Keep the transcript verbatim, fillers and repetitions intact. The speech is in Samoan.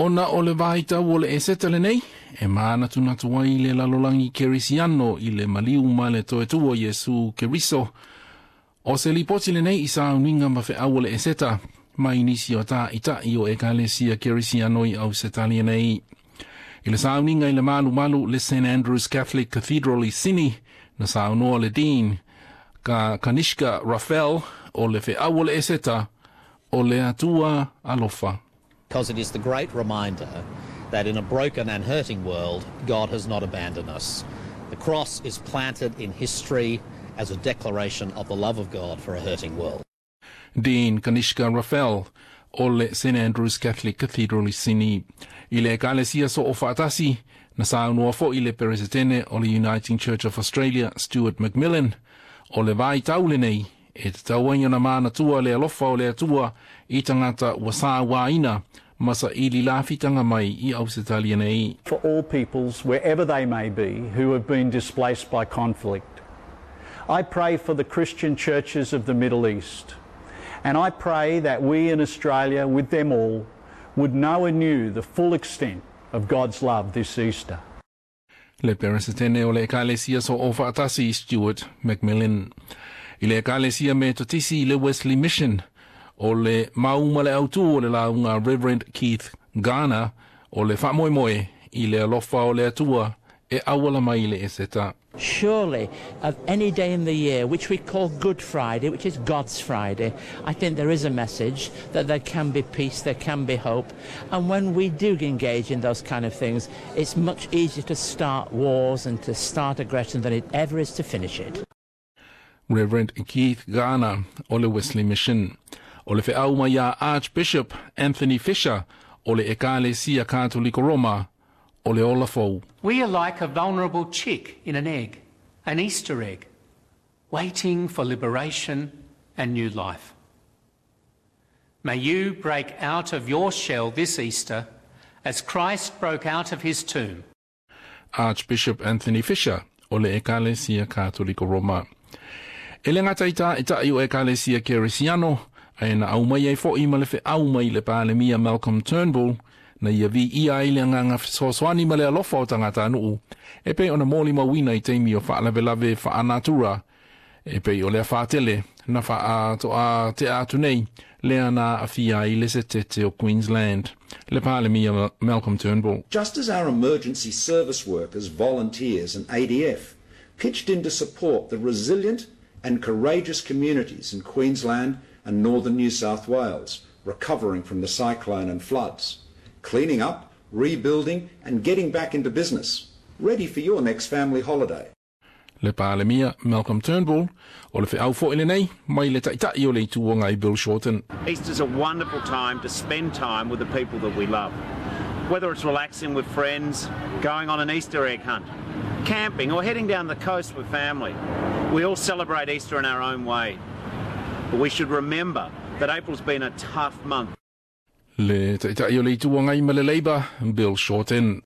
Ona o le vaitau o le Eseta lenei, e manatunatu ai le lalolagi kerisiano i le maliu ma le toetua Iesu Keriso. O se lipoti lenei i sauniga ma feau o le Eseta, mai nisi o tāita'i o ekalesia kerisiano i Ausetalia nei. I le sauniga i le malumalu le Saint Andrew's Catholic Cathedral i Sydney, na saunoa le Dean ka Kanishka Raffel o le feau o le Eseta o le Atua alofa. Because it is the great reminder that in a broken and hurting world, God has not abandoned us. The cross is planted in history as a declaration of the love of God for a hurting world. Dean Kanishka Raffel o le Saint Andrew's Catholic Cathedral i Sydney. I le ekalesia soofaatasi, na saunoa fo'i le Peresetene o le Uniting Church of Australia, Stuart McMillan, o le vaitau lenei, e tatau ai ona manatua le alofa o le Atua i tagata ua sauaina ma saili lafitaga mai i Ausetalia nei. For all peoples, wherever they may be, who have been displaced by conflict. I pray for the Christian churches of the Middle East. And I pray that we in Australia, with them all, would know anew the full extent of God's love this Easter. Le Peresetene o le Ekalesia Soofaatasi Stuart McMillan. I le Ekalesia Metotisi le Wesley Mission o le mauma le autu o le lauga Reverend Keith Garner o le faamoemoe i le alofa o le Atua e auala mai le Eseta. Surely, of any day in the year, which we call Good Friday, which is God's Friday, I think there is a message that there can be peace, there can be hope. And when we do engage in those kind of things, it's much easier to start wars and to start aggression than it ever is to finish it. Reverend Keith Garner o le Wesley Mission. O le feau mai a Archbishop Anthony Fisher o le Ekalesia Katoliko Roma o le ola fou. We are like a vulnerable chick in an egg, an Easter egg, waiting for liberation and new life. May you break out of your shell this Easter as Christ broke out of his tomb. Archbishop Anthony Fisher o le Ekalesia Katoliko Roma. E le gata i tāita'i o Ekalesia Kerisiano, ae na aumai ai fo'i ma le feau mai le Palemia Malcolm Turnbull, na ia viia ai le agaga fesoasoani ma le alofa o tagatanuu, e pei ona molimauina i taimi o faalavelave faalenatura, e pei o le afa tele, na faatoa tea atu nei, lea na aafia ai le setete o Queensland. Le Palemia Malcolm Turnbull. Just as our emergency service workers, volunteers and A D F pitched in to support the resilient and courageous communities in Queensland and northern New South Wales recovering from the cyclone and floods, cleaning up, rebuilding and getting back into business, ready for your next family holiday. Le Palemia Malcolm Turnbull o le feau fo'i lenei mai le Taitai o le Itu Agai Bill Shorten. Easter's a wonderful time to spend time with the people that we love. Whether it's relaxing with friends, going on an Easter egg hunt, camping or heading down the coast with family. We all celebrate Easter in our own way. But we should remember that April's been a tough month. Le Taitai o le Itu Agai ma le Labour, Bill Shorten.